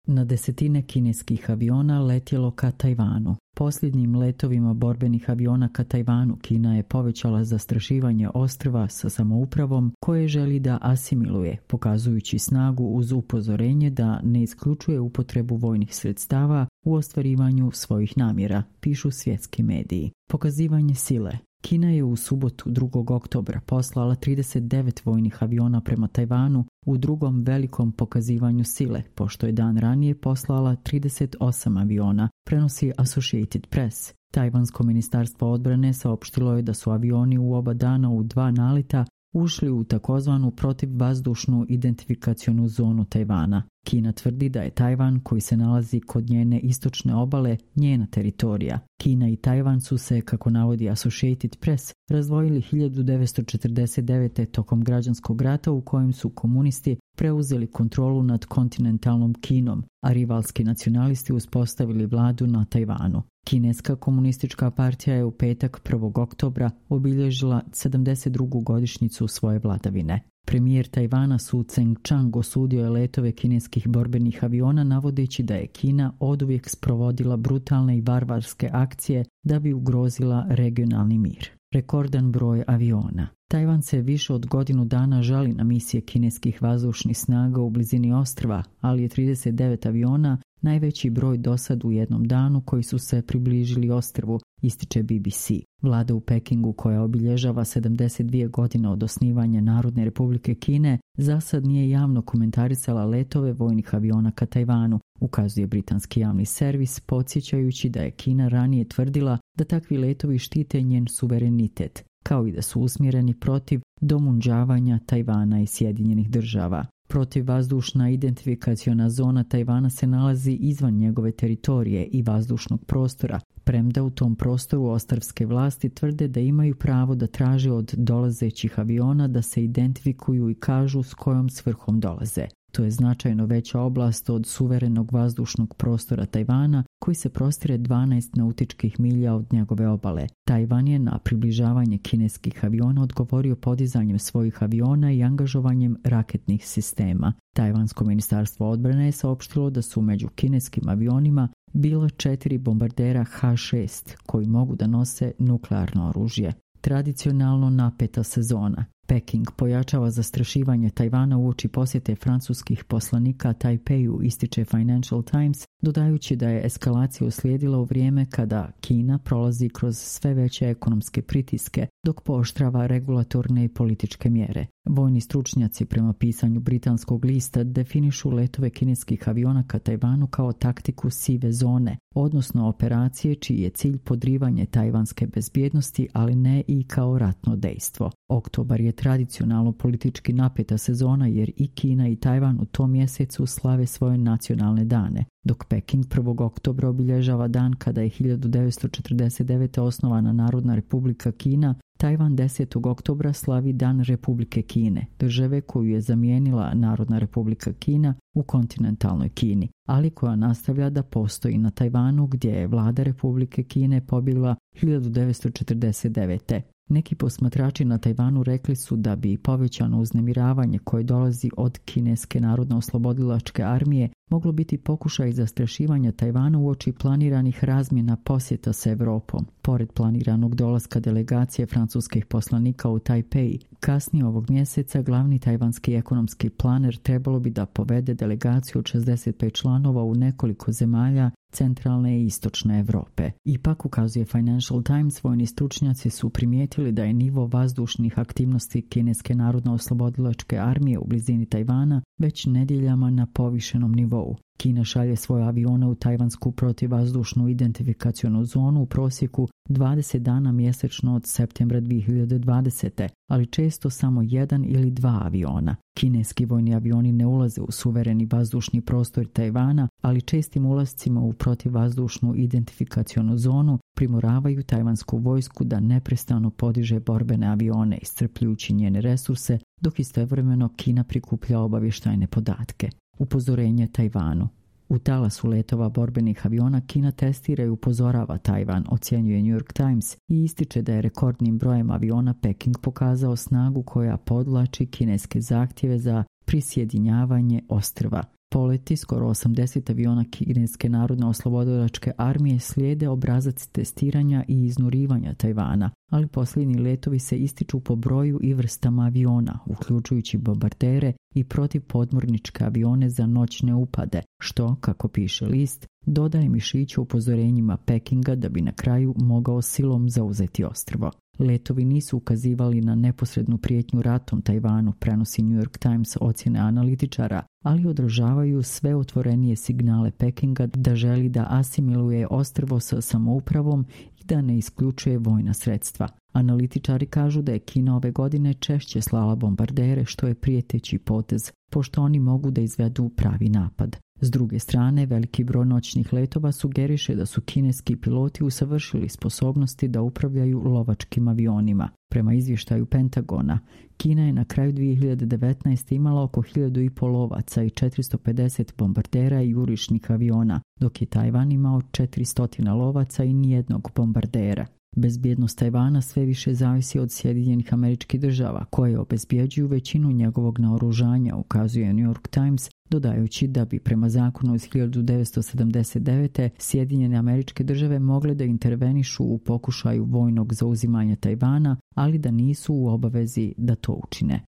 Na desetine kineskih aviona letjelo ka Tajvanu. Posljednjim letovima borbenih aviona ka Tajvanu Kina je povećala zastrašivanje ostrva sa samoupravom koje želi da asimiluje, pokazujući snagu uz upozorenje da ne isključuje upotrebu vojnih sredstava u ostvarivanju svojih namjera, pišu svjetski mediji. Pokazivanje sile. Kina je u subotu 2. oktobra poslala 39 vojnih aviona prema Tajvanu u drugom velikom pokazivanju sile, pošto je dan ranije poslala 38 aviona, prenosi Associated Press. Tajvansko ministarstvo odbrane saopštilo je da su avioni u oba dana u 2 naleta ušli u takozvanu protivvazdušnu identifikacionu zonu Tajvana. Kina tvrdi da je Tajvan, koji se nalazi kod njene istočne obale, njena teritorija. Kina i Tajvan su se, kako navodi Associated Press, razdvojili 1949. tokom građanskog rata u kojem su komunisti preuzeli kontrolu nad kontinentalnom Kinom, a rivalski nacionalisti uspostavili vladu na Tajvanu. Kineska komunistička partija je u petak 1. oktobra obilježila 72. godišnjicu svoje vladavine. Premijer Tajvana Su Tseng-chang osudio je letove kineskih borbenih aviona navodeći da je Kina oduvijek sprovodila brutalne i barbarske akcije da bi ugrozila regionalni mir. Rekordan broj aviona. Tajvan se više od godinu dana žali na misije kineskih vazdušnih snaga u blizini ostrva, ali je 39 aviona najveći broj dosad u jednom danu koji su se približili ostrvu, ističe BBC. Vlada u Pekingu, koja obilježava 72 godine od osnivanja Narodne republike Kine, zasad nije javno komentarisala letove vojnih aviona ka Tajvanu, ukazuje britanski javni servis, podsjećajući da je Kina ranije tvrdila da takvi letovi štite njen suverenitet, kao i da su usmjereni protiv domunđavanja Tajvana i Sjedinjenih država. Protivvazdušna identifikaciona zona Tajvana se nalazi izvan njegove teritorije i vazdušnog prostora, premda u tom prostoru ostrvske vlasti tvrde da imaju pravo da traže od dolazećih aviona da se identifikuju i kažu s kojom svrhom dolaze. To je značajno veća oblast od suverenog vazdušnog prostora Tajvana, koji se prostire 12 nautičkih milja od njegove obale. Tajvan je na približavanje kineskih aviona odgovorio podizanjem svojih aviona i angažovanjem raketnih sistema. Tajvansko ministarstvo odbrane je saopštilo da su među kineskim avionima bila 4 bombardera H-6 koji mogu da nose nuklearno oružje. Tradicionalno napeta sezona. Peking pojačava zastrašivanje Tajvana uoči posjete francuskih poslanika Tajpeju, ističe Financial Times, dodajući da je eskalacija uslijedila u vrijeme kada Kina prolazi kroz sve veće ekonomske pritiske, dok pooštrava regulatorne i političke mjere. Vojni stručnjaci, prema pisanju britanskog lista, definišu letove kineskih aviona ka Tajvanu kao taktiku sive zone, odnosno operacije čiji je cilj podrivanje tajvanske bezbjednosti, ali ne i kao ratno dejstvo. Oktobar je tradicionalno politički napeta sezona jer i Kina i Tajvan u tom mjesecu slave svoje nacionalne dane, dok Peking 1. oktobra obilježava dan kada je 1949. osnovana Narodna republika Kina. Tajvan 10. oktobra slavi Dan Republike Kine, države koju je zamijenila Narodna republika Kina u kontinentalnoj Kini, ali koja nastavlja da postoji na Tajvanu gdje je vlada Republike Kine pobjegla 1949. Neki posmatrači na Tajvanu rekli su da bi povećano uznemiravanje koje dolazi od Kineske narodno-oslobodilačke armije moglo biti pokušaj zastrašivanja Tajvana uoči planiranih razmjena posjeta s Evropom. Pored planiranog dolaska delegacije francuskih poslanika u Tajpej, kasnije ovog mjeseca glavni tajvanski ekonomski planer trebalo bi da povede delegaciju od 65 članova u nekoliko zemalja centralne i istočne Europe. Ipak, ukazuje Financial Times, vojni stručnjaci su primijetili da je nivo vazdušnih aktivnosti Kineske narodno-oslobodilačke armije u blizini Tajvana već nedjeljama na povišenom nivou. Kina šalje svoje avione u tajvansku protivvazdušnu identifikacionu zonu u prosjeku 20 dana mjesečno od septembra 2020. ali često samo 1 ili 2 aviona. Kineski vojni avioni ne ulaze u suvereni vazdušni prostor Tajvana, ali čestim ulascima u protivvazdušnu identifikacionu zonu primoravaju tajvansku vojsku da neprestano podiže borbene avione, iscrpljujući njene resurse, dok istovremeno Kina prikuplja obavještajne podatke. Upozorenje Tajvanu. U talasu letova borbenih aviona Kina testira i upozorava Tajvan, ocjenjuje New York Times, i ističe da je rekordnim brojem aviona Peking pokazao snagu koja podvlači kineske zahtjeve za prisjedinjavanje ostrva. Poleti skoro 80 aviona Kineske narodno oslobodilačke armije slijede obrazac testiranja i iznurivanja Tajvana, ali posljednji letovi se ističu po broju i vrstama aviona, uključujući bombardere i protivpodmorničke avione za noćne upade, što, kako piše list, dodaje mišiću upozorenjima Pekinga da bi na kraju mogao silom zauzeti ostrvo. Letovi nisu ukazivali na neposrednu prijetnju ratom Tajvanu, prenosi New York Times ocjene analitičara, ali odražavaju sve otvorenije signale Pekinga da želi da asimiluje ostrvo sa samoupravom i da ne isključuje vojna sredstva. Analitičari kažu da je Kina ove godine češće slala bombardere, što je prijeteći potez, pošto oni mogu da izvedu pravi napad. S druge strane, veliki broj noćnih letova sugeriše da su kineski piloti usavršili sposobnosti da upravljaju lovačkim avionima. Prema izvještaju Pentagona, Kina je na kraju 2019. imala oko 1500 lovaca i 450 bombardera i jurišnih aviona, dok je Tajvan imao 400 lovaca i nijednog bombardera. Bezbjednost Tajvana sve više zavisi od Sjedinjenih Američkih Država, koje obezbjeđuju većinu njegovog naoružanja, ukazuje New York Times, dodajući da bi prema zakonu iz 1979. Sjedinjene Američke Države mogle da intervenišu u pokušaju vojnog zauzimanja Tajvana, ali da nisu u obavezi da to učine.